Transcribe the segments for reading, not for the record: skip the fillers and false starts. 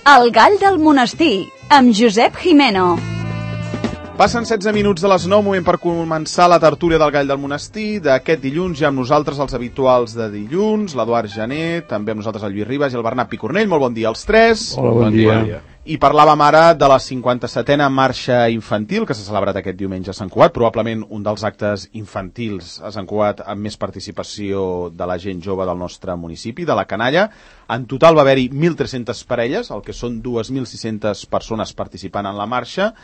El gall del monestir, amb Josep Jimeno. Passen 16 minuts de les 9, moment per començar la tertúlia del gall del monestir d'aquest dilluns. Ja amb nosaltres els habituals de dilluns, l'Eduard Jané, també amb nosaltres el Lluís Ribas i el Bernat Picornell. Molt bon dia als tres. Hola, bon dia. I parlàvem ara de la 57a marxa infantil que s'ha celebrat aquest diumenge a Sant Cugat, probablement un dels actes infantils a Sant Cugat amb més participació de la gent jove del nostre municipi, de la canalla. En total va haver-hi 1.300 parelles, el que són 2.600 persones participant en la marxa.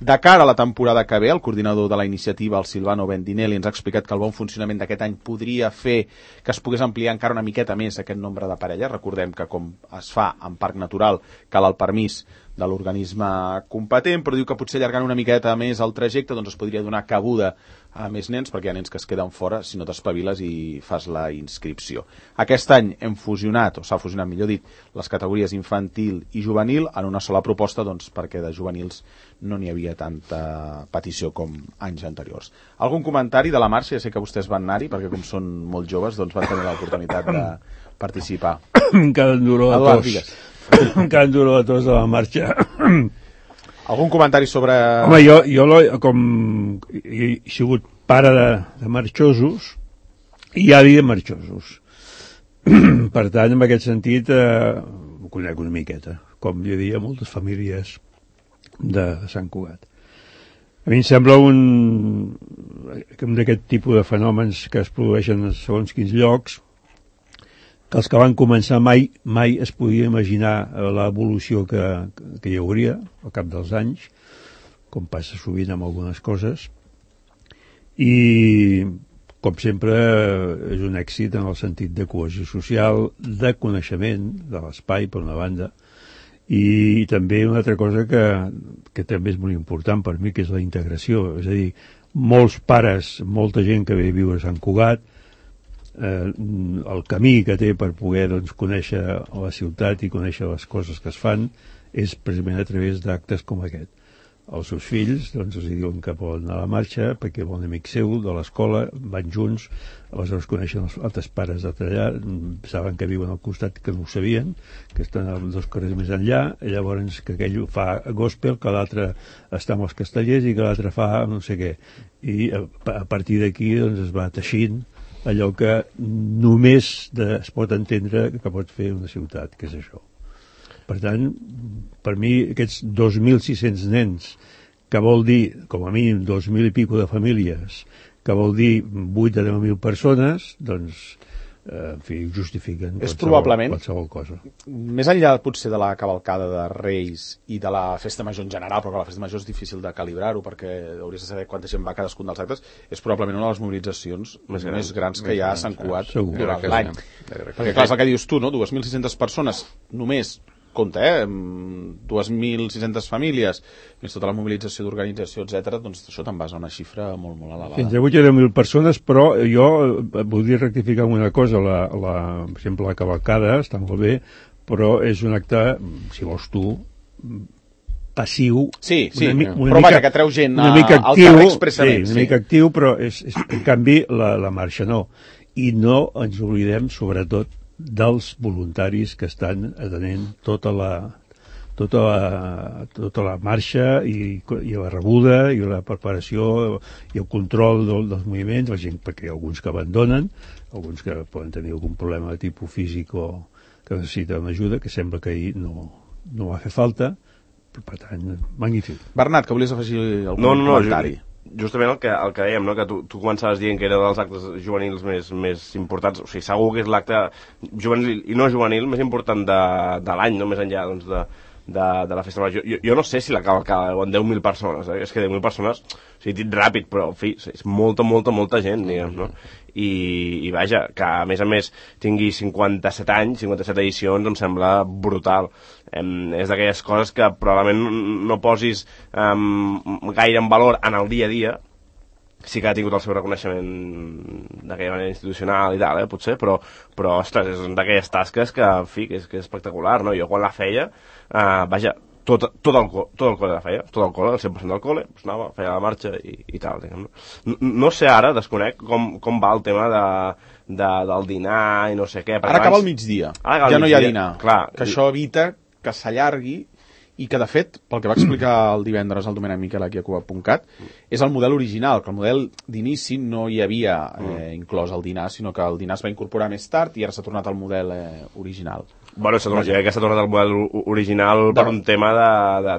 De cara a la temporada que ve, el coordinador de la iniciativa, el Silvano Bendinelli, ens ha explicat que el bon funcionament d'aquest any podria fer que es pogués ampliar encara una miqueta més aquest nombre de parelles. Recordem que com es fa en parc natural cal el permís de l'organisme competent, però diu que potser allargant una miqueta més el trajecte doncs es podria donar cabuda a més nens, perquè hi ha nens que es queden fora si no t'espaviles i fas la inscripció. Aquest any hem fusionat, o s'ha fusionat millor dit, les categories infantil i juvenil en una sola proposta, doncs perquè de juvenils no n'hi havia tanta petició com anys anteriors. Algun comentari de la marxa? Ja sé que vostès van anar-hi, perquè com són molt joves doncs van tenir l'oportunitat de participar. Encara em dura la tos. Encara em dura la tos de la marxa. Algun comentari sobre... Home, jo com he sigut pare de marxosos i avi de marxosos. Per tant, en aquest sentit, ho conec una miqueta, com jo diria moltes famílies de Sant Cugat. A mi em sembla un d'aquest tipus de fenòmens que es produeixen en segons quins llocs, que els que van començar mai es podia imaginar l'evolució que hi hauria al cap dels anys, com passa sovint amb algunes coses, i com sempre és un èxit en el sentit de cohesió social, de coneixement de l'espai per una banda, i també una altra cosa que també és molt important per mi, que és la integració, és a dir, molts pares, molta gent que ve a viure a Sant Cugat, el camí que té per poder doncs, conèixer la ciutat i conèixer les coses que es fan és precisament a través d'actes com aquest. Els seus fills doncs, els diuen que poden anar a la marxa perquè bon amic seu de l'escola, van junts, aleshores coneixen els altres pares d'allà, saben que viuen al costat, que no ho sabien, que estan a 2 carrers més enllà, i llavors que aquell fa gospel, que l'altre està amb els castellers i que l'altre fa no sé què. I a partir d'aquí doncs, es va teixint allò que només es pot entendre que pot fer una ciutat, que és això. Per tant, per mi, aquests 2.600 nens, que vol dir, com a mínim, 2.000 i pico de famílies, que vol dir 8 a 10.000 persones, doncs, en fi, justifiquen qualsevol cosa. Més enllà, potser, de la cavalcada de Reis i de la festa major en general, però la festa major és difícil de calibrar-ho, perquè hauries de saber quanta gent va a cadascun dels actes, és probablement una de les mobilitzacions més grans que hi ha a Sant Cugat durant l'any. Perquè, clar, és el que dius tu, no? 2.600 persones només, compte, 2.600 famílies, més tota la mobilització d'organització, etc. doncs això te'n vas a una xifra molt, molt elevada. Fins a 8 o 10.000 persones, però jo voldria rectificar una cosa, per exemple, la cavalcada està molt bé, però és un acte, si vols tu, passiu. Sí, però vaja, que treu gent al carrer expressament. Sí, una mica actiu, però en canvi la marxa no. I no ens oblidem, sobretot, dels voluntaris que estan atenent tota la marxa i la rebuda i la preparació i el control dels moviments, la gent, perquè hi ha alguns que abandonen, alguns que poden tenir algun problema de tipus físic o que necessiten ajuda, que sembla que ahir no va fer falta, però per tant, magnífic. Bernat, que volies afegir algun comentari? Justament el que dèiem, no? Que tu començaves dient que era dels actes juvenils més importants, o sigui, segur que és l'acte juvenil i no juvenil més important de l'any, no? Més enllà doncs, de la festa major. Jo no sé si la cavalcada en 10.000 persones, és que 10.000 persones, o sigui, dit ràpid, però en fi, és molta gent, diguem, no? I vaja, que a més tingui 57 anys, 57 edicions, em sembla brutal. És d'aquelles coses que probablement no posis gaire en valor en el dia a dia, sí que ha tingut el seu reconeixement d'aquella manera institucional i tal, potser, però ostres, és d'aquelles tasques que, en fi, que és espectacular, no? Jo quan la feia, vaja, tot el col·le la feia, tot el col·le, el 100% del col·le, doncs anava, feia la marxa i tal, diguem. No sé ara, desconec com va el tema del dinar i no sé què. Ara acaba el migdia, ja no hi ha dinar, clar, que això evita que s'allargui i que, de fet, pel que va explicar el divendres el Domènec Miquel aquí a Cuba.cat, és el model original, que el model d'inici no hi havia inclòs el dinar, sinó que el dinar es va incorporar més tard i ara s'ha tornat al model original. Bueno, jo crec que s'ha tornat al model original per un tema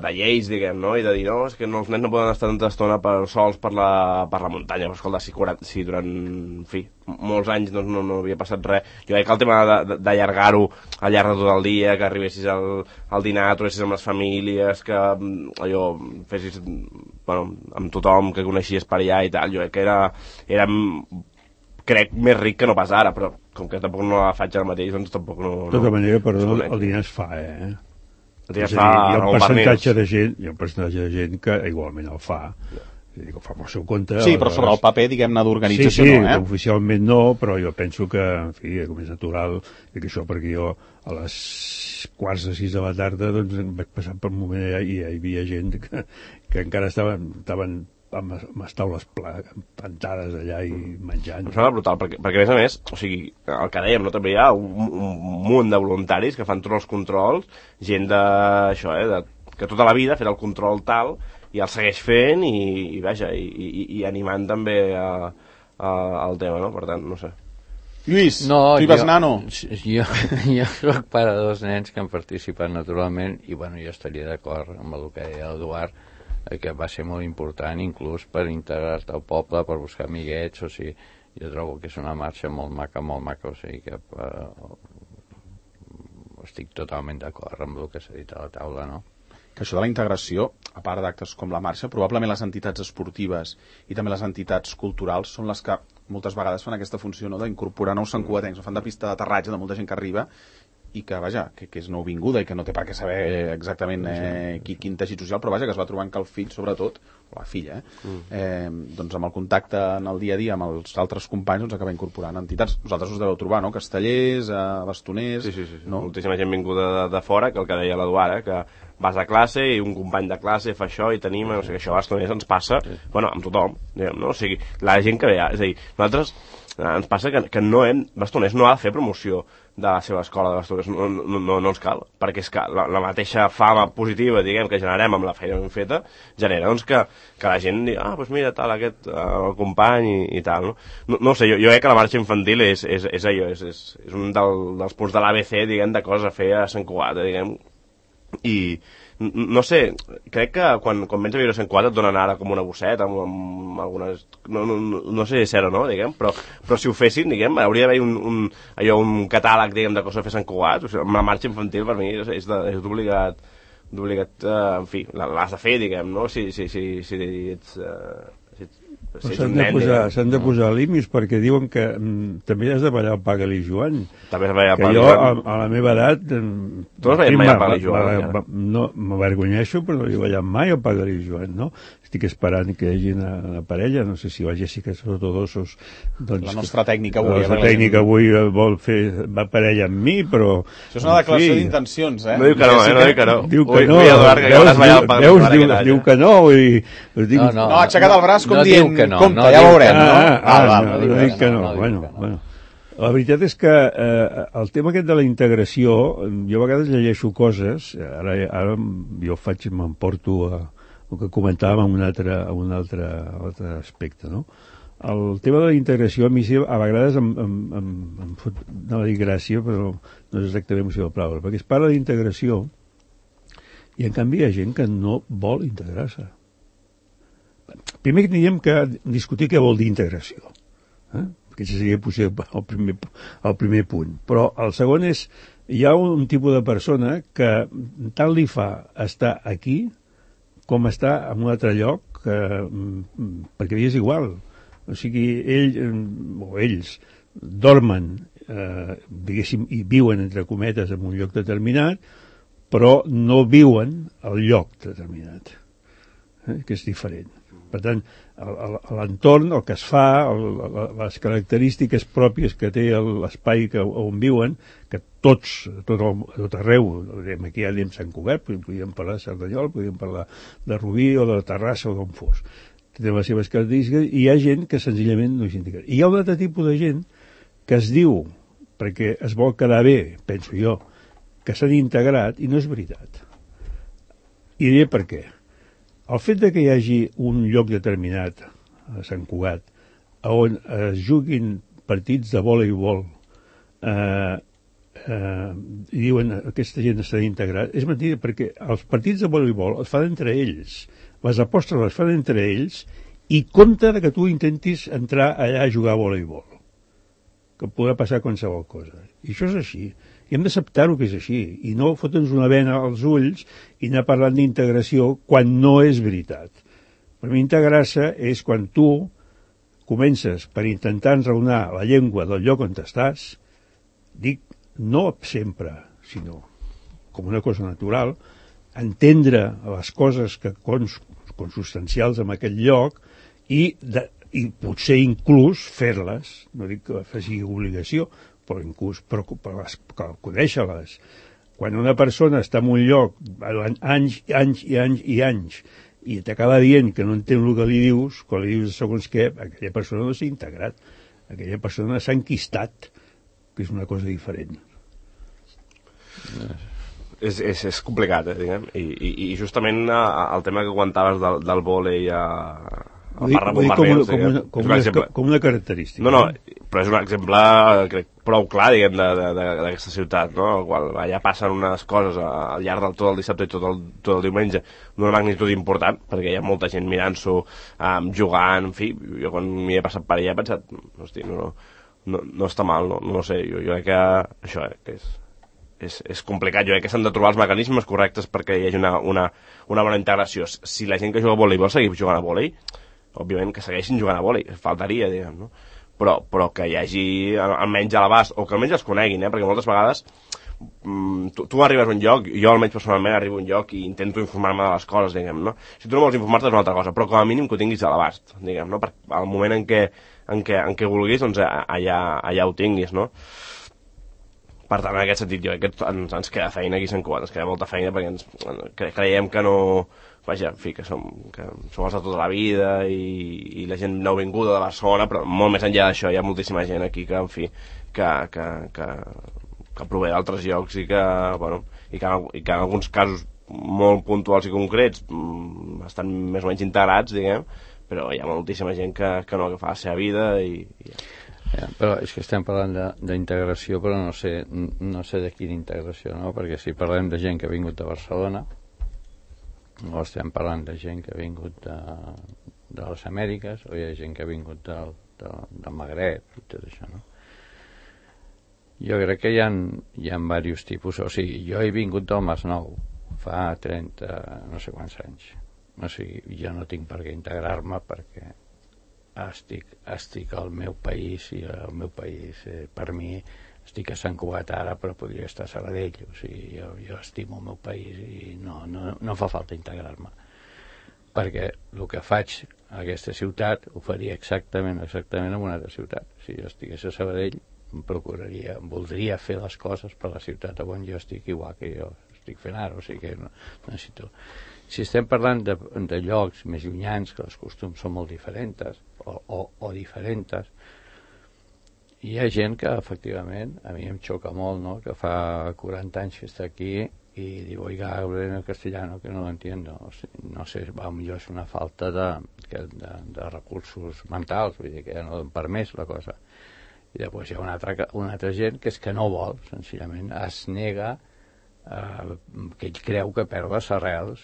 de lleis, diguem, no? I de dir, no, és que els nens no poden estar tanta estona sols per la muntanya. Però, escolta, si durant, en fi, molts anys no havia passat res. Jo crec que el tema d'allargar-ho al llarg de tot el dia, que arribessis al dinar, trobessis amb les famílies, que allò fessis, bueno, amb tothom que coneixies per allà i tal, jo crec que era crec més ric que no pas ara, però com que tampoc no la faig ara mateix, doncs tampoc no... De tota manera, perdó, el dinar es fa, El dinar es fa hi ha un percentatge de gent que igualment el fa. Que ho fa pel seu compte. Sí, però sobre el paper, diguem-ne, d'organització no, no, oficialment no, però jo penso que, en fi, com és natural, que això perquè jo a les 5:45 de la tarda doncs em vaig passar per un moment allà i hi havia gent que encara estaven amb les taules plantades allà i menjant. Em sembla brutal, perquè a més a més, o sigui, el que dèiem, no? També hi ha un munt de voluntaris que fan tots els controls, gent d'això, que tota la vida ha fet el control tal, i el segueix fent i vaja, i animant també al tema, no? Per tant, no sé. Lluís, tu hi vas nano? Jo soc pare de 2 nens que han participat naturalment i bueno, jo estaria d'acord amb el que deia l'Eduard, que va ser molt important inclús per integrar-te al poble, per buscar amiguets, o sigui, jo trobo que és una marxa molt maca, o sigui que estic totalment d'acord amb el que s'ha dit a la taula, no? Que això de la integració, a part d'actes com la marxa, probablement les entitats esportives i també les entitats culturals són les que moltes vegades fan aquesta funció, no?, d'incorporar nous santcugatencs, fan de pista d'aterratge de molta gent que arriba i que, vaja, que és nouvinguda i que no té per què saber exactament quin teixit social, però vaja, que es va trobant que el fill, sobretot, o la filla, doncs amb el contacte en el dia a dia amb els altres companys, doncs acaba incorporant entitats. Vosaltres us deveu trobar, no?, castellers, bastoners... Sí. No? Moltíssima gent vinguda de fora, que el que deia l'Eduard, que vas a classe i un company de classe fa això i t'anima, no sé, que això a bastoners ens passa, bueno, amb tothom, diguem, no? O sigui, la gent que ve, és a dir, nosaltres ens passa que bastoners no ha de fer promoció de la seva escola de bastoners, no ens cal, perquè és que la mateixa fama positiva, diguem, que generem amb la feina ben feta, genera, doncs, que la gent digui, doncs mira, tal, aquest, el company i tal, no? No sé, jo crec que la marxa infantil és allò, és un dels punts de l'ABC, diguem, de coses a fer a Sant Cugat, diguem, i no sé, crec que quan vens a viure a Sant Cugat et donen ara com una bosseta amb algunes, no sé si és cert o no, diguem, però si ho fessin, diguem, hauria d'haver un catàleg, diguem, de coses a fer a Sant Cugat. O sigui, amb la marxa infantil per mi és d'obligat, en fi, l'has de fer, diguem, no? Si ets s'han de posar límits perquè diuen que també has de ballar el Paga-li Joan. També has de ballar el Paga-li Joan. Jo, a la meva edat... Tu no has ballat mai el Paga-li Joan? No, m'avergonyeixo, però no he ballat mai el Paga-li Joan, no? Estic esperant que hi hagi una parella, no sé si la Jessica Sotodosos... Doncs, la nostra tècnica avui. La nostra tècnica avui vol fer parella amb mi, però... Això és una declaració d'intencions, No diu que no, no diu que no. Diu que no. Diu que no. No, ha aixecat el braç com dient... Compte, ja veurem, no? Dic que no. Bueno. La veritat és que el tema aquest de la integració, jo a vegades llegeixo coses, ara jo m'emporto el que comentàvem en un altre aspecte, no? El tema de la integració a mi a vegades em fot, no dir gràcia, però no és exactament la seva paraula, perquè es parla d'integració i en canvi hi ha gent que no vol integrar-se. Primer tindríem que discutir què vol dir integració, perquè això seria potser el primer punt. Però el segon és, hi ha un tipus de persona que tant li fa estar aquí com estar en un altre lloc, perquè és igual. O sigui, ells dormen, diguéssim, i viuen, entre cometes, en un lloc determinat, però no viuen al lloc determinat, que és diferent. Per tant, l'entorn, el que es fa, les característiques pròpies que té l'espai on viuen, que tot arreu, aquí ja anem Sant Cugat, podríem parlar de Cerdanyola, podríem parlar de Rubí o de Terrassa o d'on fos. Té les seves característiques i hi ha gent que senzillament no s'integra. I hi ha un altre tipus de gent que es diu, perquè es vol quedar bé, penso jo, que s'han integrat i no és veritat. I diré per què. El fet de que hi hagi un lloc determinat a Sant Cugat on es juguin partits de voleibol i diuen aquesta gent està integrat, és mentida, perquè els partits de voleibol es fan entre ells, les apostes les fan entre ells i compte que tu intentis entrar allà a jugar a voleibol, que podrà passar qualsevol cosa. I això és així. I hem d'acceptar-ho que és així, i no fotre'ns una vena als ulls i anar parlant d'integració quan no és veritat. Per mi integrar-se és quan tu comences per intentar enraonar la llengua del lloc on estàs, dic no sempre, sinó com una cosa natural, entendre les coses que consubstancials en aquell lloc i potser inclús fer-les, no dic que faci obligació, però inclús per conèixer-les. Quan una persona està en un lloc anys i anys i t'acaba dient que no entén el que li dius, quan li dius segons què, aquella persona no s'ha integrat, aquella persona s'ha enquistat, que és una cosa diferent. És complicat, diguem, i justament el tema que comentaves del vòlei com una característica. No, però és un exemple, crec, prou clar, diguem, d'aquesta ciutat, no? El qual allà passen unes coses al llarg del tot el dissabte i tot el diumenge d'una magnitud important, perquè hi ha molta gent mirant-s'ho, jugant, en fi, jo quan m'hi he passat per allà he pensat, hosti, no està mal, no sé, jo crec que això, que és complicat, jo crec que s'han de trobar els mecanismes correctes perquè hi hagi una bona integració. Si la gent que juga a vòlei vol seguir jugant a vòlei, òbviament que segueixin jugant a vòlei, faltaria, diguem, no? Però que hi hagi almenys a l'abast, o que almenys els coneguin, perquè moltes vegades tu arribes a un lloc, jo almenys personalment arribo a un lloc i intento informar-me de les coses, diguem, no? Si tu no vols informar-te és una altra cosa, però com a mínim que ho tinguis a l'abast, diguem, no? Al moment en què vulguis, doncs allà ho tinguis, no? Per tant, en aquest sentit, jo crec que ens queda feina aquí a Sant Cugat, ens queda molta feina perquè creiem que no... Vaja, en fi, que som els de tota la vida i la gent nouvinguda de Barcelona, però molt més enllà d'això hi ha moltíssima gent aquí que, en fi, que prové d'altres llocs i que en alguns casos molt puntuals i concrets estan més o menys integrats, diguem, però hi ha moltíssima gent que no, que fa la seva vida i ja, però és que estem parlant d'integració, però no sé de quina integració, no? Perquè si parlem de gent que ha vingut de Barcelona, o estem parlant de gent que ha vingut de les Amèriques, o hi ha gent que ha vingut del Magreb i tot això, no? Jo crec que hi ha diversos tipus, o sigui, jo he vingut del Masnou fa 30 no sé quants anys, o sigui, jo no tinc per què integrar-me perquè estic al meu país i el meu país per mi estic a Sant Cugat ara però podria estar a Sabadell, o sigui, jo estimo el meu país i no fa falta integrar-me perquè el que faig a aquesta ciutat ho faria exactament en una altra ciutat. Si jo estigués a Sabadell voldria fer les coses per la ciutat on jo estic igual que jo estic fent ara, o sigui que no necessito. Si estem parlant de llocs més llunyans que els costums són molt diferents o diferents, hi ha gent que efectivament a mi em xoca molt, no? Que fa 40 anys que està aquí i diu, oiga, hablo en castellano que no lo entiendo, o sigui, no sé, potser és una falta de recursos mentals, vull dir que ja no donen per més la cosa. I després hi ha una altra gent que és que no vol, senzillament es nega que ell creu que perd les arrels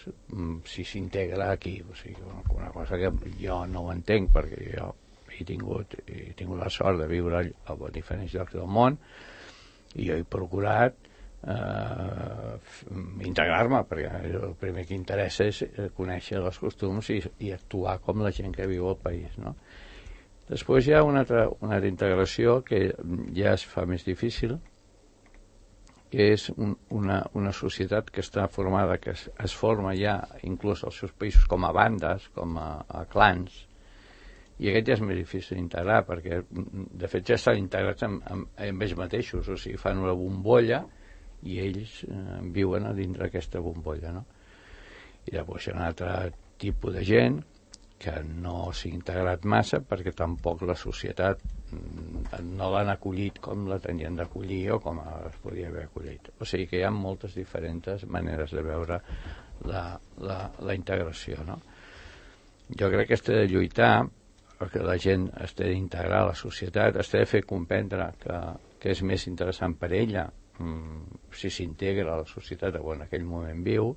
si s'integra aquí, o sigui, una cosa que jo no ho entenc perquè jo he tingut la sort de viure a diferents llocs del món i jo he procurat integrar-me perquè el primer que interessa és conèixer els costums i actuar com la gent que viu al país, no? Després hi ha una altra integració que ja es fa més difícil, que és una societat que està formada, que es forma ja inclús als seus països com a bandes, com a clans, i aquest ja és més difícil d'integrar perquè de fet ja estan integrats amb ells mateixos, o sigui, fan una bombolla i ells viuen a dintre d'aquesta bombolla, no? I llavors hi ha un altre tipus de gent que no s'ha integrat massa perquè tampoc la societat no l'han acollit com la tenien d'acollir o com es podia haver acollit. O sigui que hi ha moltes diferents maneres de veure la integració, no? Jo crec que has de lluitar perquè la gent es té d'integrar a la societat, es té de fer comprendre que és més interessant per ella si s'integra a la societat o en aquell moment viu,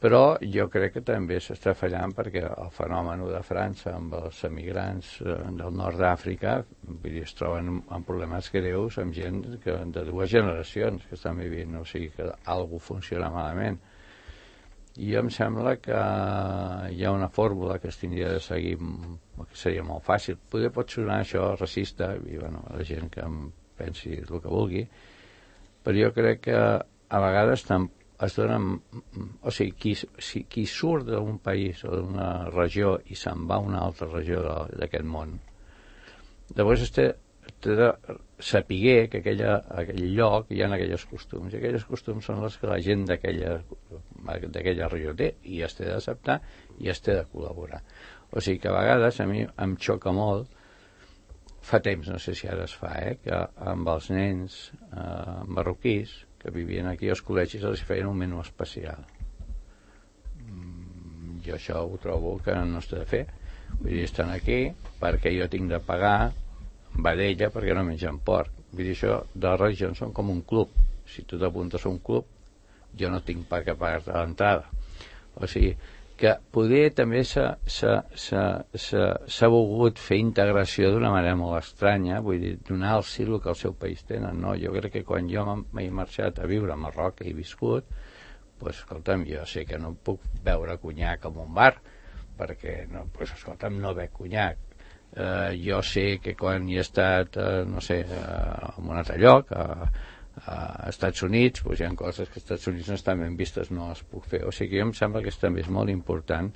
però jo crec que també s'està fallant perquè el fenomen de França amb els emigrants del nord d'Àfrica es troben amb problemes greus amb gent de 2 generacions que estan vivint, o sigui que alguna cosa funciona malament. I em sembla que hi ha una fórmula que es tindria de seguir, que seria molt fàcil. Potser pot sonar això racista, i bueno, la gent que em pensi el que vulgui, però jo crec que a vegades es donen, o sigui, qui surt d'un país o d'una regió i se'n va a una altra regió d'aquest món, llavors té de saber que aquell lloc hi ha aquells costums, i aquells costums són els que la gent d'aquella regió té, i es té d'acceptar i es té de col·laborar. O sigui que a vegades a mi em xoca molt, fa temps, no sé si ara es fa, que amb els nens marroquís que vivien aquí als col·legis els feien un menú especial. Jo això ho trobo que no es té de fer. Vull dir, estan aquí perquè jo tinc de pagar vedella perquè no mengen porc. Vull dir, això de les religions són com un club. Si tu t'apuntes a un club, jo no tinc per què pagar-te l'entrada. O sigui, que poder també s'ha volgut fer integració d'una manera molt estranya, vull dir, donar-los el que al seu país tenen, no? Jo crec que quan jo m'he marxat a viure a Marroc i he viscut, doncs, escolta'm, jo sé que no puc beure conyac en un bar, perquè, no, doncs, escolta'm, no bec conyac. Jo sé que quan hi he estat, no sé, en un altre lloc, a Estats Units, doncs hi ha coses que als Estats Units no estan ben vistes, no les puc fer. O sigui, jo em sembla que també és molt important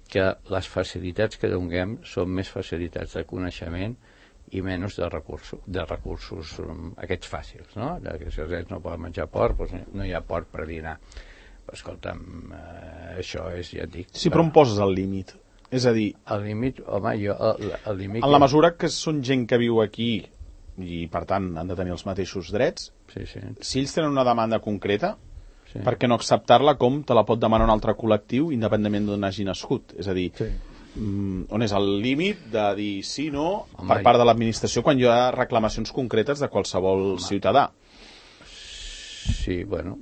que les facilitats que donem són més facilitats de coneixement i menys de recursos aquests fàcils, no? Que si els nens no poden menjar porc, doncs no hi ha porc per dinar. Però, escolta'm, això és, ja et dic... Sí, però on poses el límit? És a dir... El límit, home, el límit... En la mesura que són gent que viu aquí i, per tant, han de tenir els mateixos drets, sí. Si ells tenen una demanda concreta, per què no acceptar-la com te la pot demanar un altre col·lectiu independentment d'on hagi nascut? És a dir, on és el límit de dir sí o no per part de l'administració quan hi ha reclamacions concretes de qualsevol ciutadà? Sí, bueno,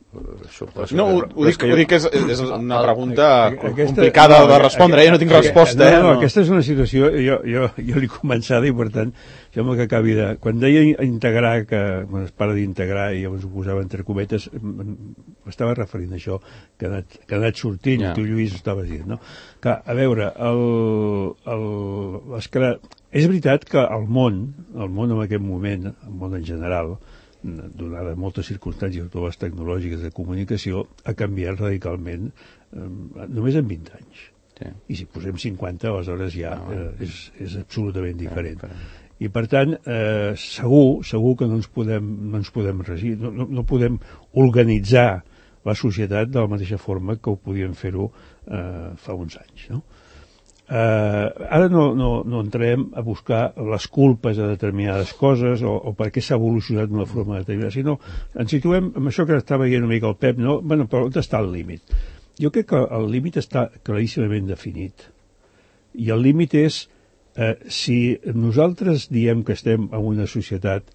suposo... No, ho dic que és una pregunta complicada de respondre, jo no tinc resposta. No, aquesta és una situació, jo l'he començat i per tant, sembla que acabi de... Quan deia integrar, quan es parla d'integrar i llavors ho posava entre cometes, m'estava referint a això, que ha anat sortint, tu Lluís estaves dient, no? Que, a veure, és veritat que el món en aquest moment, el món en general, donades moltes circumstàncies, totes les tecnològiques de comunicació, ha canviat radicalment només en 20 anys. Sí. I si posem 50, aleshores ja és absolutament diferent. I per tant, segur que no ens podem regir, no podem organitzar la societat de la mateixa forma que ho podíem fer-ho fa uns anys, no? Ara no entrem a buscar les culpes de determinades coses o per què s'ha evolucionat d'una forma determinada, sinó ens situem amb això que estava veient una mica el Pep, no? Bueno, però on està el límit? Jo crec que el límit està claríssimament definit. I el límit és si nosaltres diem que estem en una societat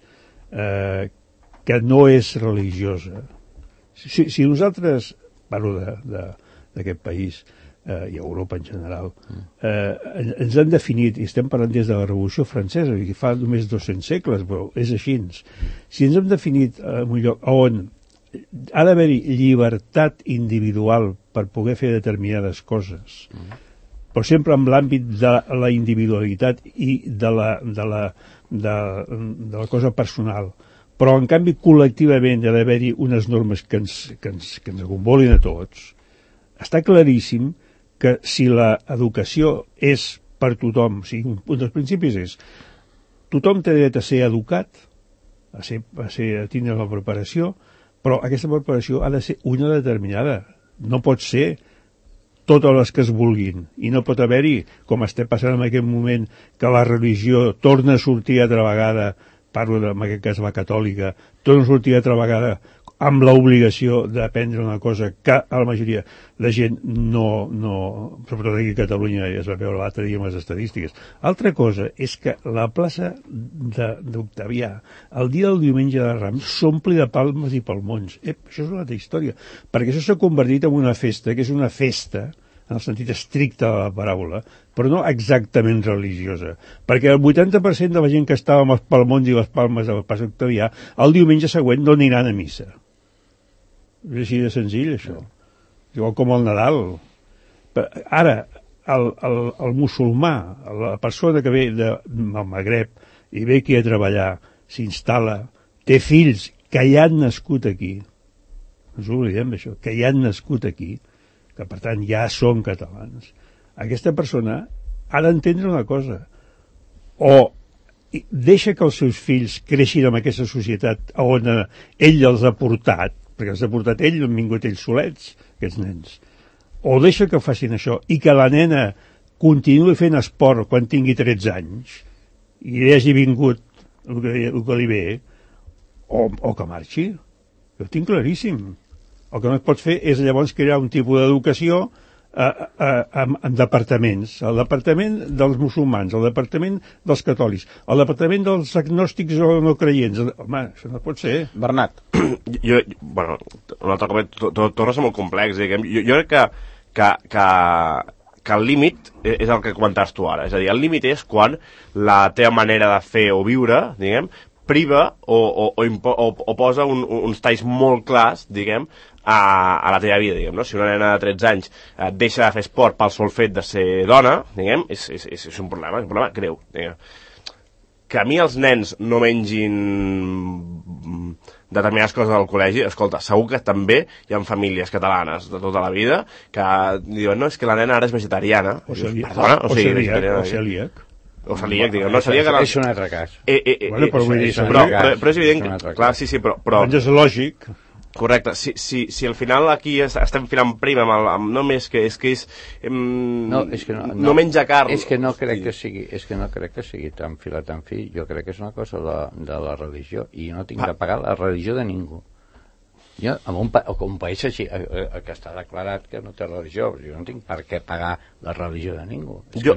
que no és religiosa, si nosaltres, parlo d'aquest país, i a Europa en general, ens han definit, i estem parlant des de la Revolució Francesa, que fa només 200 segles, però és així. Si ens hem definit en un lloc on ha d'haver-hi llibertat individual per poder fer determinades coses, però sempre en l'àmbit de la individualitat i de la cosa personal, però en canvi col·lectivament ha d'haver-hi unes normes que ens acombolin a tots, està claríssim que si l'educació és per tothom, o sigui, un dels principis és tothom té dret a ser educat, a tindre la preparació, però aquesta preparació ha de ser una determinada. No pot ser totes les que es vulguin, i no pot haver-hi, com estem passant en aquest moment, que la religió torna a sortir altra vegada, parlo en aquest cas la catòlica, torna a sortir altra vegada amb l'obligació d'aprendre una cosa que a la majoria de gent no, sobretot aquí a Catalunya, ja es va veure l'altre dia amb les estadístiques. Altra cosa és que la plaça d'Octavià, el dia del diumenge de Rams, s'ompli de palmes i palmons. Això és una altra història, perquè això s'ha convertit en una festa, que és una festa, en el sentit estricte de la paraula, però no exactament religiosa, perquè el 80% de la gent que estava amb els palmons i les palmes del Pas Octavià, el diumenge següent no aniran a missa. És així de senzill, això. Igual com el Nadal. Ara, el musulmà, la persona que ve del Magreb i ve aquí a treballar, s'instal·la, té fills que ja han nascut aquí, no ens oblidem d'això, que ja han nascut aquí, que per tant ja són catalans, aquesta persona ha d'entendre una cosa, o deixa que els seus fills creixin en aquesta societat on ell els ha portat, perquè els ha portat ell, no han vingut ells solets, aquests nens, o deixa que facin això i que la nena continuï fent esport quan tingui 13 anys i li hagi vingut el que li ve, o que marxi. Jo ho tinc claríssim. El que no es pot fer és llavors crear un tipus d'educació en departaments. El departament dels musulmans, el departament dels catòlics, el departament dels agnòstics o no creients. Home, això no pot ser. Bernat. Bueno, un altre cop, torna a ser molt complex, diguem. Jo crec que el límit és el que comentaves tu ara. És a dir, el límit és quan la teva manera de fer o viure, diguem, priva o posa uns talls molt clars, diguem, a la teva vida, diguem, no? Si una nena de 13 anys deixa de fer esport pel sol fet de ser dona, diguem, és un problema greu, diguem. Que a mi els nens no mengin determinades coses al col·legi, escolta, segur que també hi ha famílies catalanes de tota la vida que diuen, no, és que la nena ara és vegetariana. O celíac. O celíac, diguem, no, celíac... És un altre cas. Bueno, però és evident que... Clar, sí, però... És lògic. Correcte. Si al final aquí estem filant prim amb només que és no menja carn... És que no crec que sigui tan fila tan fi. Jo crec que és una cosa de la religió i jo no tinc de pagar la religió de ningú. Jo, en un país així, que està declarat que no té religió, jo no tinc per què pagar la religió de ningú. Jo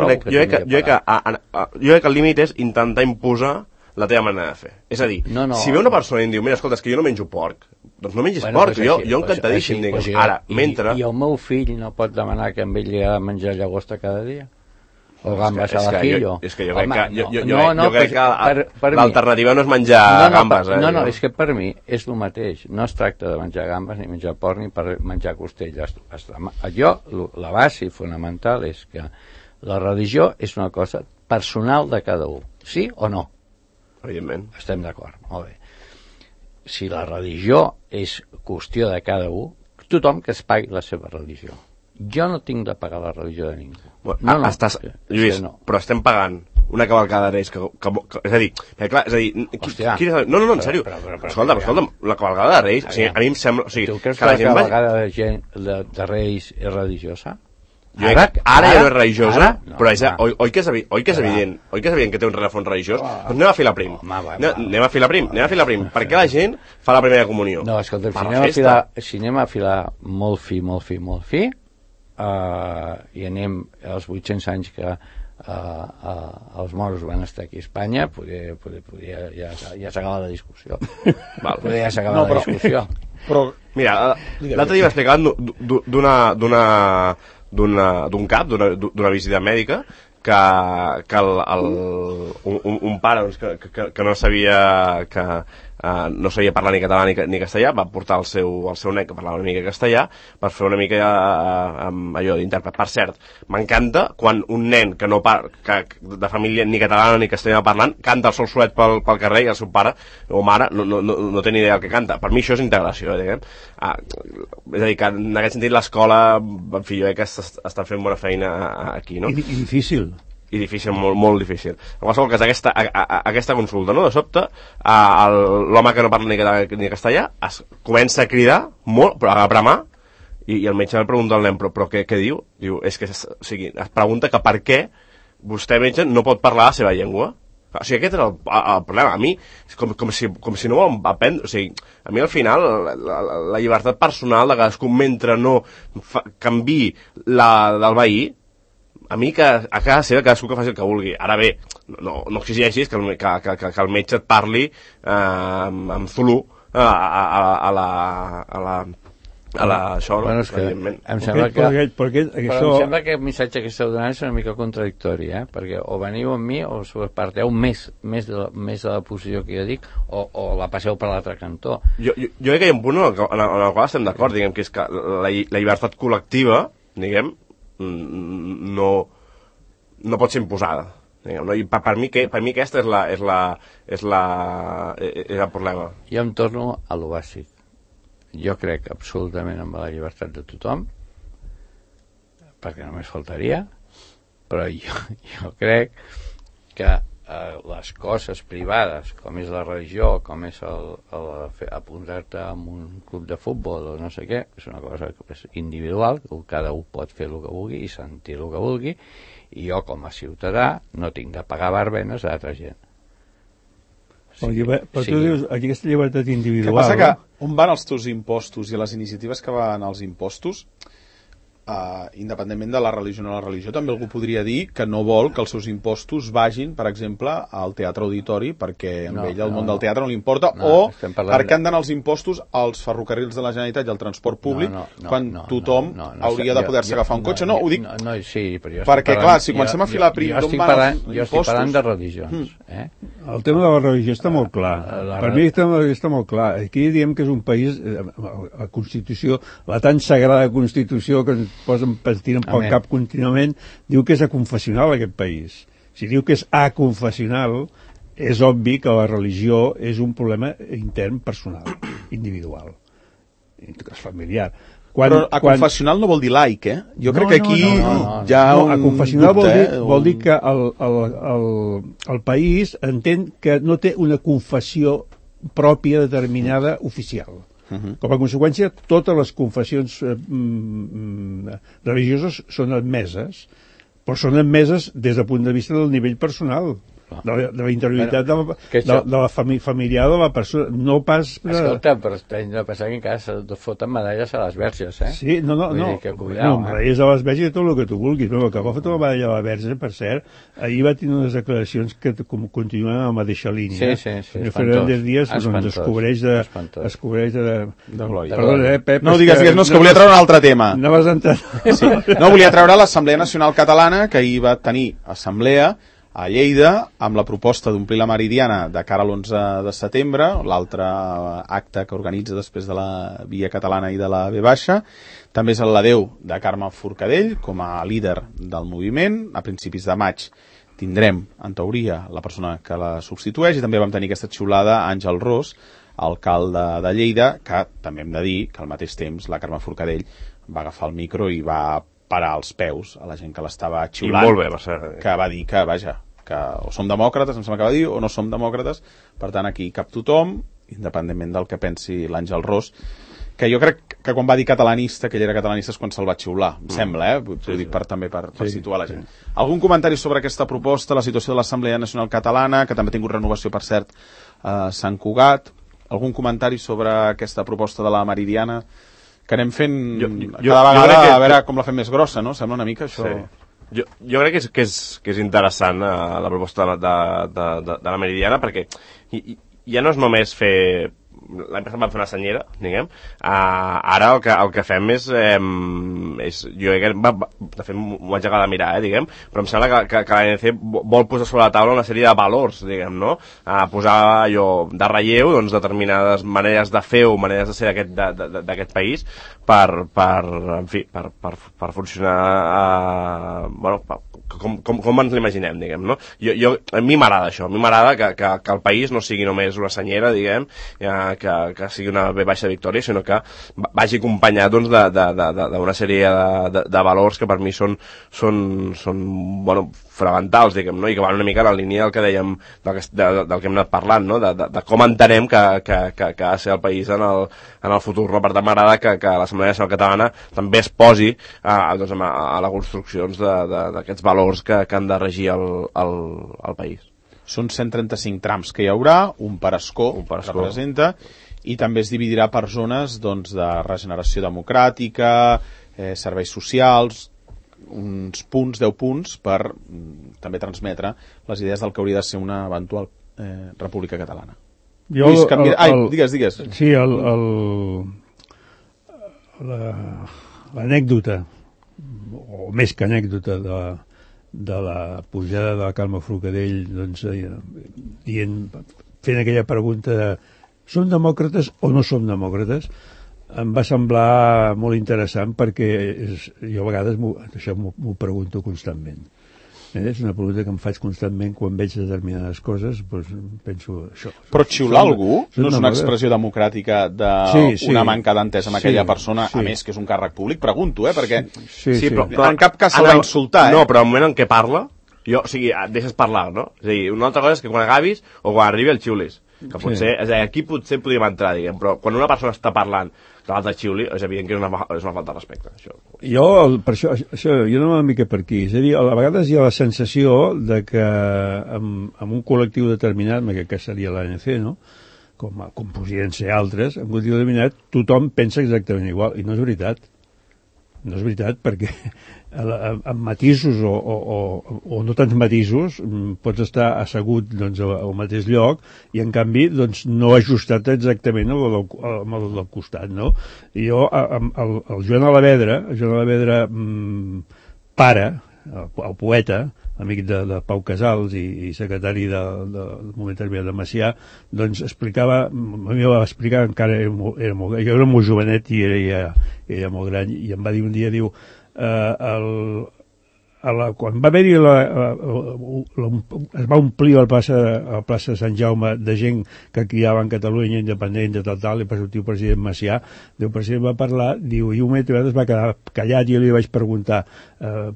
crec que el límit és intentar imposar la teva manera de fer. És a dir, si ve una persona i em diu, mira, escolta, és que jo no menjo porc, doncs no mengis porc, jo encantadíssim, diguem. Ara, mentre... I el meu fill no pot demanar que amb ell li ha de menjar llagosta cada dia? O gambes a l'ajillo? És que jo crec que l'alternativa no és menjar gambes. No, és que per mi és el mateix. No es tracta de menjar gambes ni menjar porc ni per menjar costelles. La base fonamental és que la religió és una cosa personal de cada un. Sí o no? Evidentment. Estem d'acord, molt bé. Si la religió és qüestió de cada un, tothom que es pagui la seva religió. Jo no tinc de pagar la religió de ningú. Lluís, però estem pagant una cavalcada de Reis és a dir, en sèrio, escolta'm, la cavalcada de Reis, a mi em sembla... Tu creus que la cavalgada de Reis és religiosa? Ara ja no és religiosa, però oi que és evident que té un rerefons religiós? Doncs anem a filar prim. Anem a filar prim. Per què la gent fa la primera comunió? No, escolta, si anem a filar molt fi, i anem als 800 anys que els moros van estar aquí a Espanya, ja s'acaba la discussió. Ja s'acaba la discussió. Però, mira, l'altre dia m'explicaven d'un cap, d'una visita mèdica, que un pare que no sabia no sabia parlar ni català ni castellà, va portar el seu net que parlava una mica castellà per fer una mica allò d'intèrpret. Per cert, m'encanta quan un nen que no de família ni catalana ni castellà parlant canta el sol solet pel carrer i el seu pare o mare no té ni idea del que canta. Per mi això és integració, diguem. És a dir, que en aquest sentit l'escola, en fi, jo crec que està fent bona feina aquí, no? I difícil. I difícil, molt difícil. En qualsevol cas, aquesta consulta, no? De sobte, l'home que no parla ni català ni castellà comença a cridar molt, però a bramar, I el metge li pregunta al nen, però què diu? Diu, és que, o sigui, es pregunta que per què vostè, metge, no pot parlar la seva llengua. O sigui, aquest era el problema. A mi, com si no ho aprendre. O sigui, a mi al final, la llibertat personal de cadascú, mentre no canvi la del veí, a mi que a casa seva cadascú que faci el que vulgui. Ara bé, no exigeixis que el metge et parli amb Zulu això, bueno, és que em sembla que el missatge que esteu donant és una mica contradictori, perquè o veniu amb mi o parteu més de la posició que jo dic o la passeu per l'altre cantó. Jo crec que hi ha un punt en el qual estem d'acord, diguem, que és que la llibertat col·lectiva, diguem, no pot ser imposada, diguem, no? I per mi aquesta és el problema. Jo em torno a lo bàsic. Jo crec absolutament en la llibertat de tothom, perquè només faltaria, però jo crec que les coses privades, com és la religió, com és apuntar-te a un club de futbol o no sé què, és una cosa individual, que cada un pot fer el que vulgui i sentir el que vulgui, i jo com a ciutadà no tinc de pagar barbenes a altra gent. Però tu dius, aquesta llibertat individual... Què passa que on van els teus impostos i les iniciatives que van als impostos, independentment de la religió o no la religió, també algú podria dir que no vol que els seus impostos vagin, per exemple, al teatre auditori, perquè amb ell el món del teatre no li importa, o perquè han d'anar els impostos als ferrocarrils de la Generalitat i al transport públic, quan tothom hauria de poder-se agafar un cotxe. No, ho dic perquè, clar, si comencem a filar prim d'on van els impostos... Jo estic parlant de religions. El tema de la religió està molt clar. Per mi està molt clar. Aquí diem que és un país, la Constitució, la tan sagrada Constitució que ens tiren pel cap contínuament, diu que és aconfessional aquest país. Si diu que és aconfessional, és obvi que la religió és un problema intern, personal, individual, familiar. Però aconfessional no vol dir laic, Jo crec que aquí hi ha un aconfessional vol dir que el país entén que no té una confessió pròpia determinada oficial. Com a conseqüència, totes les confessions religioses són admeses, però són admeses des del punt de vista del nivell personal, de la interioritat de la familiar de la persona, no pas... Escolta, però hem de pensar que encara se foten medalles a les verges, Sí, no, medalles a les verges i tot el que tu vulguis, però que agafat la medalla a la verge, per cert, ahir va tenir unes declaracions que continuen a la mateixa línia. Sí, Fernández Díaz es cobreix de... Perdona, Pep. No, digues, no, és que volia treure un altre tema. No vas entrar. No, volia treure l'Assemblea Nacional Catalana, que ahir va tenir assemblea a Lleida, amb la proposta d'omplir la Meridiana de cara a l'11 de setembre, l'altre acte que organitza després de la Via Catalana i de la V baixa. També és el l'adeu de Carme Forcadell com a líder del moviment. A principis de maig tindrem, en teoria, la persona que la substitueix, i també vam tenir aquesta xiulada a Àngel Ros, alcalde de Lleida, que també hem de dir que al mateix temps la Carme Forcadell va agafar el micro i va parar els peus a la gent que l'estava xiulant. I molt bé, va ser. Que va dir que, vaja, que o som demòcrates, em sembla que va dir, o no som demòcrates. Per tant, aquí cap tothom, independentment del que pensi l'Àngel Ros, que jo crec que quan va dir catalanista, que ell era catalanista, és quan se'l va xiular, em sembla, ho dic també per situar la gent. Algun comentari sobre aquesta proposta, la situació de l'Assemblea Nacional Catalana, que també ha tingut renovació, per cert, a Sant Cugat? Algun comentari sobre aquesta proposta de la Meridiana? Que anem fent cada vegada a veure com la fem més grossa, no? Sembla una mica això... Jo crec que és interessant la proposta de la Meridiana, perquè ja no és només fer... L'any passat vam fer una senyera, diguem. Ara el que fem és jo crec que, de fet, m'ho vaig acabar de mirar, diguem, però em sembla que l'ANC vol posar sobre la taula una sèrie de valors, diguem, no? Posar allò de relleu, doncs, determinades maneres de fer o maneres de ser d'aquest país per funcionar, bueno, com ens l'imaginem, diguem, no? A mi m'agrada això, a mi m'agrada que el país no sigui només una senyera, diguem, que sigui una B baixa victòria, sinó que vagi acompanyat doncs, d'una sèrie de valors que per mi són bueno, fonamentals, diguem, no? I que van una mica en la línia del que dèiem, del que hem anat parlant, no? De com entenem que ha de ser el país en el futur, no? Per tant, m'agrada que l'Assemblea Nacional Catalana també es posi doncs, a la construcció d'aquests valors que han de regir el país. Són 135 trams que hi haurà, un per escó representa, i també es dividirà per zones doncs, de regeneració democràtica, serveis socials, uns punts, 10 punts, per també transmetre les idees del que hauria de ser una eventual república catalana. Digues. Sí, l'anècdota, o més que anècdota, de la pujada de la Carme Forcadell, doncs, fent aquella pregunta de som demòcrates o no som demòcrates, em va semblar molt interessant perquè jo a vegades això m'ho pregunto constantment. És una pregunta que em faig constantment quan veig determinades coses, doncs penso això. Però xiular algú no és una expressió democràtica d'una manca d'entesa amb aquella persona, a més que és un càrrec públic? Pregunto, perquè però en cap cas s'ha d'insultar. No, però al moment en què parla, o sigui, et deixes parlar, no? És a dir, una altra cosa és que quan acabis o quan arribi el xiulis, que potser, és a dir, aquí potser podríem entrar, diguem, però quan una persona està parlant que l'altre xiuli, és evident que és una falta de respecte. Això. Per això, jo no una mica per aquí. És a dir, a vegades hi ha la sensació de que en un col·lectiu determinat, que seria l'ANC, no? com podrien ser altres, en un col·lectiu determinat tothom pensa exactament igual, i no és veritat. No és veritat, perquè amb matisos o no tants matisos pots estar assegut doncs, al mateix lloc i en canvi doncs, no ajustat exactament amb el del costat, no? I jo, el Joan Alavedra, pare, el poeta, amic de Pau Casals i secretari del moment determinat de Macià, doncs explicava, a mi va explicar, encara era molt, jo era molt jovenet i era molt gran, i em va dir un dia, diu, quan va haver-hi es va omplir la plaça de Sant Jaume de gent que criava en Catalunya independent de tal, i el tio president Macià, el president va parlar, diu, i un moment es va quedar callat i jo li vaig preguntar,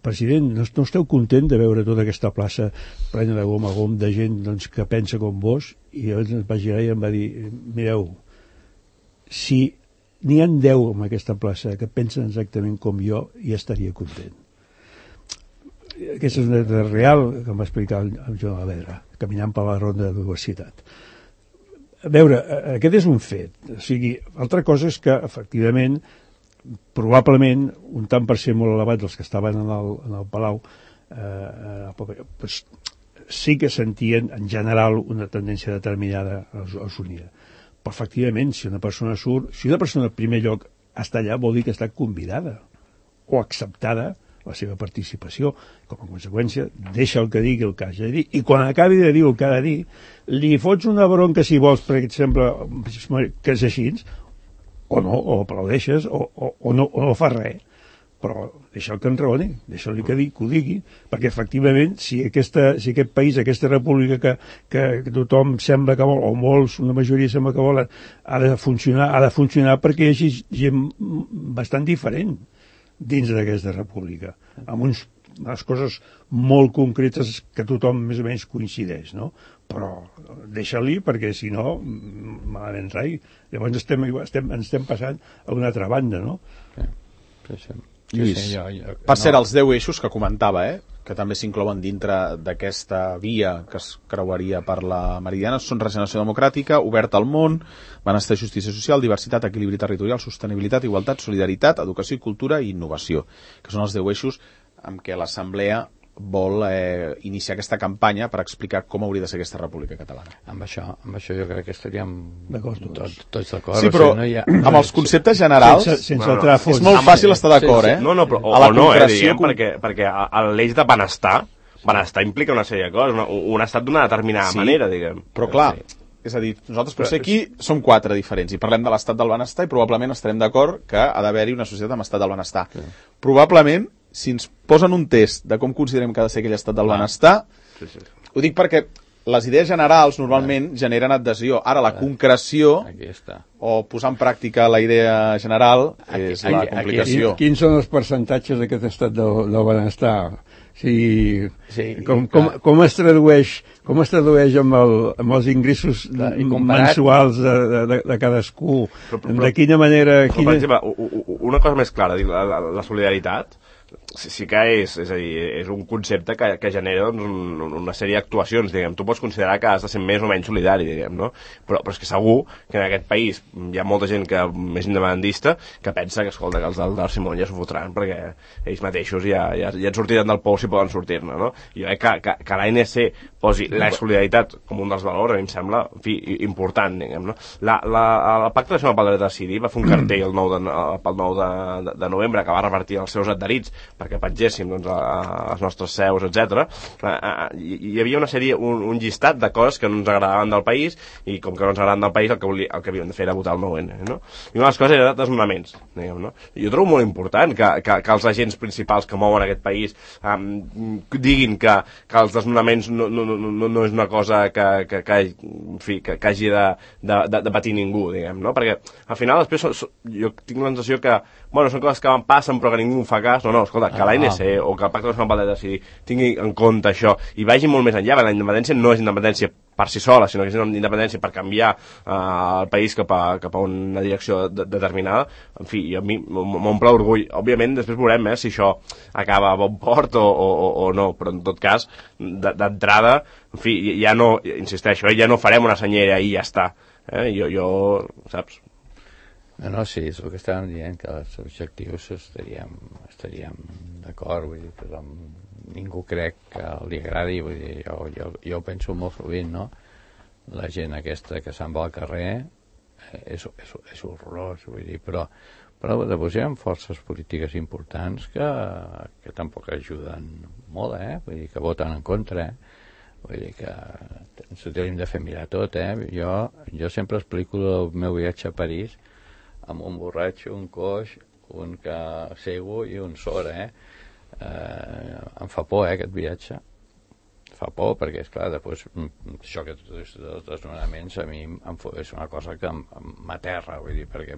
president, no esteu content de veure tota aquesta plaça plena de gom a gom de gent doncs, que pensa com vos? I llavors es va girar i em va dir, mireu, si n'hi ha 10 en aquesta plaça que pensen exactament com jo, ja estaria content. Aquesta és una dada real que em va explicar el Joan Alavedra, caminant per la ronda de la universitat. A veure, aquest és un fet. O sigui, altra cosa és que, efectivament, probablement, un tant per cent molt elevat dels que estaven en el Palau, sí que sentien, en general, una tendència determinada als unir. Però, efectivament, si una persona surt, si una persona, en primer lloc, està allà, vol dir que està convidada o acceptada la seva participació, com a conseqüència deixa el que digui el que hagi de dir, i quan acabi de dir el que ha de dir li fots una bronca si vols, per exemple, que és així, o no, o aplaudeixes o no fa res, però deixa el que enraoni, deixa-li que ho digui, perquè efectivament si aquest país, aquesta república que tothom sembla que vol, o molts, una majoria sembla que volen, ha de funcionar perquè hi hagi gent bastant diferent dins d'aquesta república, amb unes coses molt concretes que tothom més o menys coincideix, no? Però deixa-li, perquè si no, malament rai. Llavors ens estem passant a una altra banda, no? Sí. Lluís, per ser els 10 eixos que comentava, que també s'inclouen dintre d'aquesta via que es creuaria per la Meridiana, són regeneració democràtica, oberta al món, benestar i justícia social, diversitat, equilibri territorial, sostenibilitat, igualtat, solidaritat, educació i cultura i innovació, que són els 10 eixos amb què l'Assemblea vol iniciar aquesta campanya per explicar com hauria de ser aquesta república catalana. Amb això jo crec que estaríem tots d'acord. Sí, però amb els conceptes generals és molt fàcil estar d'acord, No, però o no, diguem, perquè l'eix de benestar implica una sèrie de coses, un estat d'una determinada manera, diguem. Però clar, és a dir, nosaltres potser aquí som 4 diferents i parlem de l'estat del benestar i probablement estarem d'acord que ha d'haver-hi una societat amb estat del benestar. Probablement, si ens posen un test de com considerem que ha de ser aquell estat del benestar, ho dic perquè les idees generals normalment generen adhesió. Ara, la concreció, Aquí està. o posar en pràctica la idea general, és la complicació. Quins són els percentatges d'aquest estat del benestar? Sí, com es tradueix amb els ingressos mensuals de cadascú? De quina manera... Per exemple, una cosa més clara, la solidaritat sí que és a dir, és un concepte que genera doncs, una sèrie d'actuacions, diguem. Tu pots considerar que has de ser més o menys solidari, diguem, no? Però és que segur que en aquest país hi ha molta gent que és independentista que pensa que, escolta, que els del Simón ja s'ho fotran perquè ells mateixos ja en sortiran del pou si poden sortir-ne, no? I jo crec que l'ANC posi la solidaritat com un dels valors, a mi em sembla, en fi, important, diguem, no? El Pacte Nacional pel Dret a Decidir va fer un cartell pel 9 de novembre que va revertir els seus adherits perquè pengéssim doncs, les nostres seus, etc. Hi havia una sèrie, un llistat de coses que no ens agradaven del país, i com que no ens agradaven del país el que havíem de fer era votar el 9N, no? I una de les coses era desnonaments, diguem, no? Jo trobo molt important que els agents principals que mouen aquest país diguin que els desnonaments no és una cosa que hagi de patir ningú, diguem, no? Perquè al final després jo tinc la sensació que bueno, són coses que passen però que ningú fa cas. No, escolta, que l'ANC o que el Pacte Nacional pel Dret a Decidir tingui en compte això i vagi molt més enllà, perquè la independència no és independència per si sola, sinó que és una independència per canviar el país cap a una direcció determinada. En fi, a mi m'omple orgull. Òbviament, després veurem si això acaba a bon port o no, però en tot cas, d'entrada, en fi, ja no, insisteixo, ja no farem una senyera i ja està. Jo, saps? No, sí, és el que estàvem dient, que els objectius estaríem d'acord, vull dir, però ningú crec que li agradi, vull dir, jo ho penso molt sovint, no? La gent aquesta que se'n va al carrer és horrorós, vull dir, però després hi ha forces polítiques importants que tampoc ajuden molt, vull dir, que voten en contra, vull dir que ens ho tenim de fer mirar tot, Jo sempre explico el meu viatge a París amb un borratxo, un coix, un cego i un sord, Em fa por, aquest viatge. Fa por, perquè, esclar, després, això que els desnonaments a mi és una cosa que m'aterra, vull dir, perquè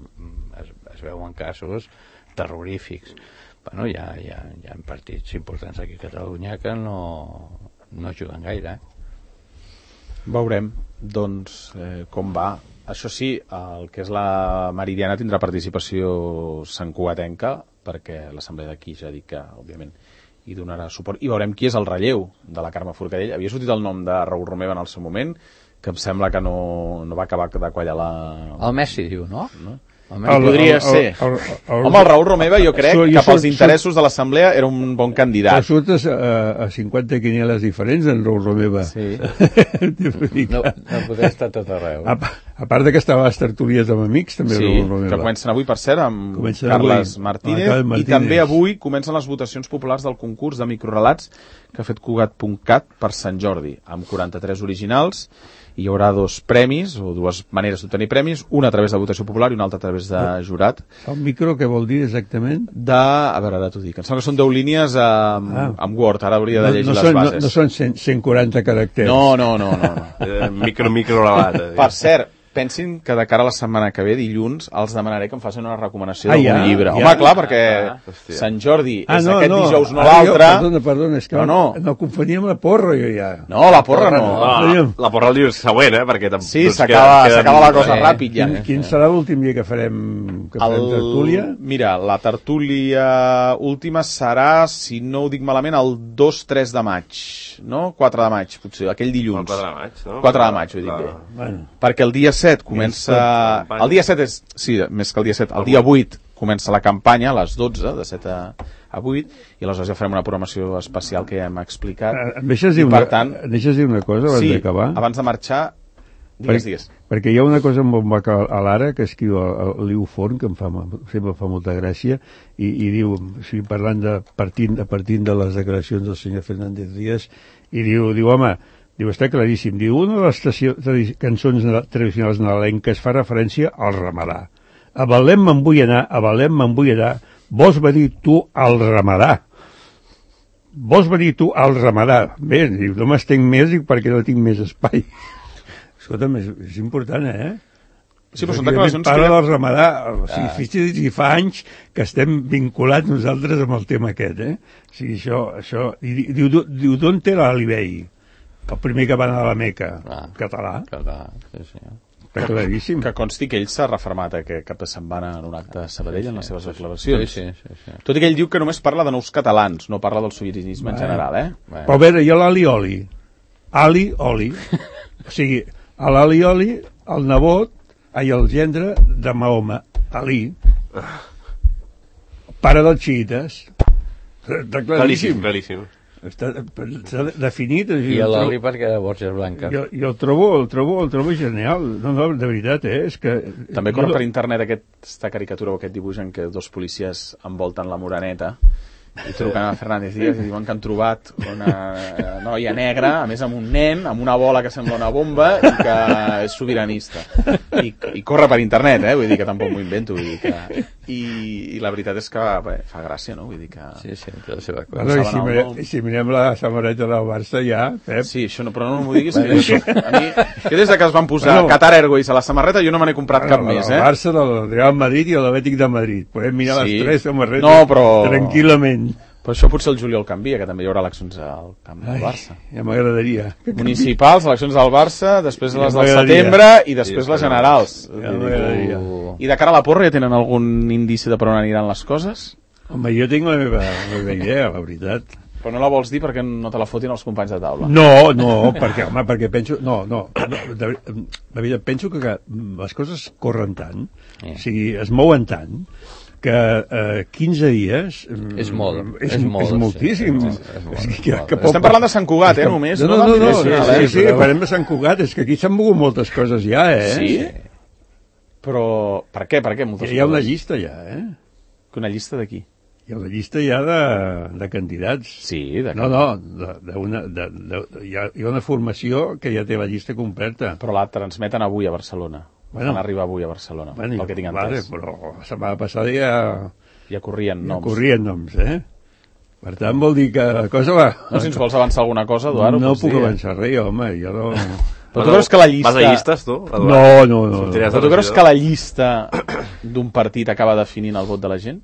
es veuen casos terrorífics. Bueno, hi ha partits importants aquí a Catalunya que no ajuden gaire, Veurem, doncs, com va. Això sí, el que és la Meridiana tindrà participació santcugatenca, perquè l'Assemblea d'aquí ja ha dit que, òbviament, hi donarà suport. I veurem qui és el relleu de la Carme Forcadell. Havia sortit el nom de Raül Romeva en el seu moment, que em sembla que no va acabar de quallar la... El Messi diu, no? Podria ser. Home, el Raül Romeva jo crec que pels interessos de l'Assemblea era un bon candidat. Surtes a 50 quinieles diferents en Raül Romeva. Sí. No podria estar tot arreu. A part que estava a les tertúlies amb amics, també Raül Romeva. Que comencen avui, per cert, amb Carles Martínez. I també avui comencen les votacions populars del concurs de microrelats que ha fet Cugat.cat per Sant Jordi, amb 43 originals. Hi haurà 2 premis, o 2 maneres d'obtenir premis, una a través de votació popular i una altra a través de jurat. El micro, què vol dir exactament? A veure, ara t'ho dic. Em sembla que són 10 línies amb Word, ara hauria de llegir les bases. No són 140 caràcters. No. Micro-relat. Per cert, pensin que de cara a la setmana que ve, dilluns, els demanaré que em facin una recomanació d'algun llibre. Home, clar, perquè Sant Jordi és aquest dijous, no l'altre. Perdona, és que no confonia amb la porra, jo ja. No, la porra no. La porra el dius següent, perquè... Sí, s'acaba la cosa ràpid, ja. Quin serà l'últim dia que farem tertúlia? Mira, la tertúlia última serà, si no ho dic malament, el 2-3 de maig, no? 4 de maig, potser, aquell dilluns. El 4 de maig, no? 4 de maig, ho dic bé. Perquè el dia 7 comença... El dia 7 és... Sí, més que el dia 7. El dia 8 comença la campanya, a les 12, de 7 a 8, i aleshores ja farem una programació especial que ja hem explicat. Em deixes dir una cosa abans d'acabar? Sí, abans de marxar, digues. Perquè hi ha una cosa molt maca a l'Ara que escriu el Liu Forn, que sempre fa molta gràcia, i diu, parlant partint de les declaracions del senyor Fernández Díaz, i diu, home, està claríssim. Diu, una de les cançons tradicionals nadalenques fa referència al ramadà. A Belém me'n vull anar, vols venir tu al ramadà? vols venir tu al Ramadà? Bé, diu, no m'estenc més perquè no tinc més espai. Escolta'm, és important, Sí, però són declaracions parla que... del Ramadà, o sigui, fixi's, i fa anys que estem vinculats nosaltres amb el tema aquest, O sigui, això... I diu, d'on té l'Alibei? El primer que va anar a la Meca. Català. Sí. Està claríssim. Que consti que ell s'ha refermat aquest cap de setmana en un acte a Sabadell en les seves declaracions. Sí. Tot i que ell diu que només parla de nous catalans, no parla del sobiranisme en general, Però a veure, hi ha l'Ali-Oli. Ali-Oli. O sigui, a l'Ali-Oli, el nebot, el gendre de Mahoma, Ali, pare dels xiites. Està claríssim. Claríssim. S'ha definit. I l'oli perquè de Borges Blanca. Jo el trobo genial. No, de veritat, és que... També corre per internet aquesta caricatura o aquest dibuix en què dos policies envolten la Moreneta i truquen a Fernández Díaz i diuen que han trobat una noia negra, a més amb un nen, amb una bola que sembla una bomba i que és sobiranista. I corre per internet, vull dir que tampoc m'ho invento. Vull dir que... I la veritat és que fa gràcia, no? Vull dir que... Sí, té la seva cosa. Bueno, si mirem la samarreta del Barça ja, Pep... Sí, això no, però no m'ho diguis. A mi, que des que es van posar Qatar Airways a la samarreta jo no me n'he comprat cap més, El Barça, el Real Madrid i l'Atlètic de Madrid. Podem mirar les tres samarretes tranquil·lament. Però això potser el juliol canvia, que també hi haurà eleccions al camp del Barça. Ja m'agradaria. Municipals, eleccions del Barça, després les del setembre i després les generals. Ja m'agradaria. I de cara a la porra ja tenen algun indici de per on aniran les coses? Home, jo tinc la meva idea, la veritat. Però no la vols dir perquè no te la fotin els companys de taula? No, perquè penso... No, de veritat, penso que les coses corren tant, o sigui, es mouen tant, que 15 dies... És molt. És moltíssim. Estem parlant de Sant Cugat, només. No, sí, parlem de Sant Cugat, és que aquí s'han mogut moltes coses ja, Sí? Però per què? Hi ha una llista ja, Una llista d'aquí? Hi ha una llista ja de candidats. Sí, de hi ha una formació que ja té la llista completa. Però la transmeten avui a Barcelona. Van arribar avui a Barcelona, pel que tinc entès. Però la setmana passada ja corrien noms. Per tant, vol dir que la cosa va... No, si ens vols avançar alguna cosa, Eduard, no puc avançar res, home, jo no... Però tu creus que la llista... Vas a llistes, tu? No. Però tu creus que la llista d'un partit acaba definint el vot de la gent?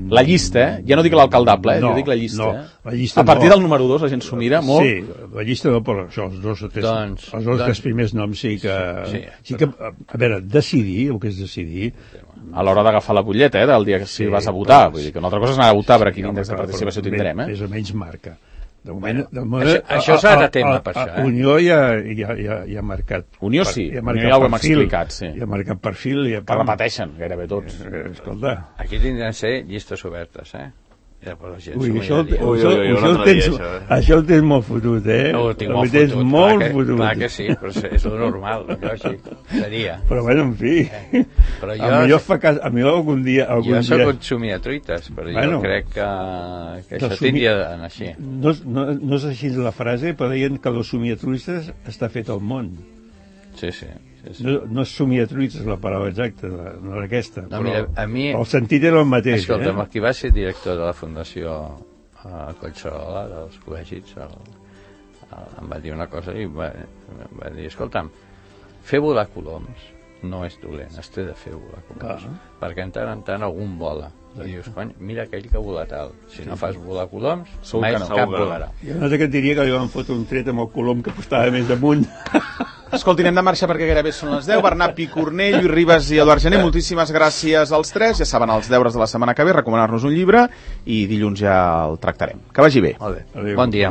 La llista, ja no dic l'alcaldable, jo dic la llista. La llista a partir del número 2 la gent s'ho mira molt. Sí, la llista no, però això, els dos o tres primers noms sí que... A veure, decidir, el que és decidir... A l'hora d'agafar la butlleta, del dia que si vas a votar. Vull dir que una altra cosa és anar a votar, però quin índex de participació tindrem, Més o menys marca. De moment, això s'ha de tema per això. Unió ja ha marcat. Unió sí, Unió ja ho hem explicat, sí. Ja ha marcat perfil. Que repeteixen gairebé tots. Escolta. Aquí tindran de ser llistes obertes, Ja, però la gent això el tens molt fotut, No, ho tinc molt fotut. Molt fotut. Clar que sí, però és lo normal, lògic, seria. Però bueno, en fi. Però a mi algun dia... Jo soc consumia truites, però jo crec que això tindria d'anar així. No és així la frase, però deien que el somiatruites està fet al món. Sí. No és somiatruites la paraula exacta, no era aquesta, però a mi, el sentit era el mateix. Escolta'm, el que va ser director de la Fundació Collserola, dels col·legis, em va dir una cosa i va dir, escolta'm, fer volar coloms no és dolent, es té de fer volar coloms, perquè en tant algun vola. I dius, cony, mira aquell que vola tal. Si no fas volar coloms, mai cap volarà. I una altra que et diria que li van fotre un tret amb el colom que postava més amunt. Escolti, anem de marxa perquè gairebé són les 10. Bernat Picornell, Lluís Ribas i Eduard Gené, moltíssimes gràcies als tres. Ja saben els deures de la setmana que ve, recomanar-nos un llibre i dilluns ja el tractarem. Que vagi bé. Molt bé. Bon dia.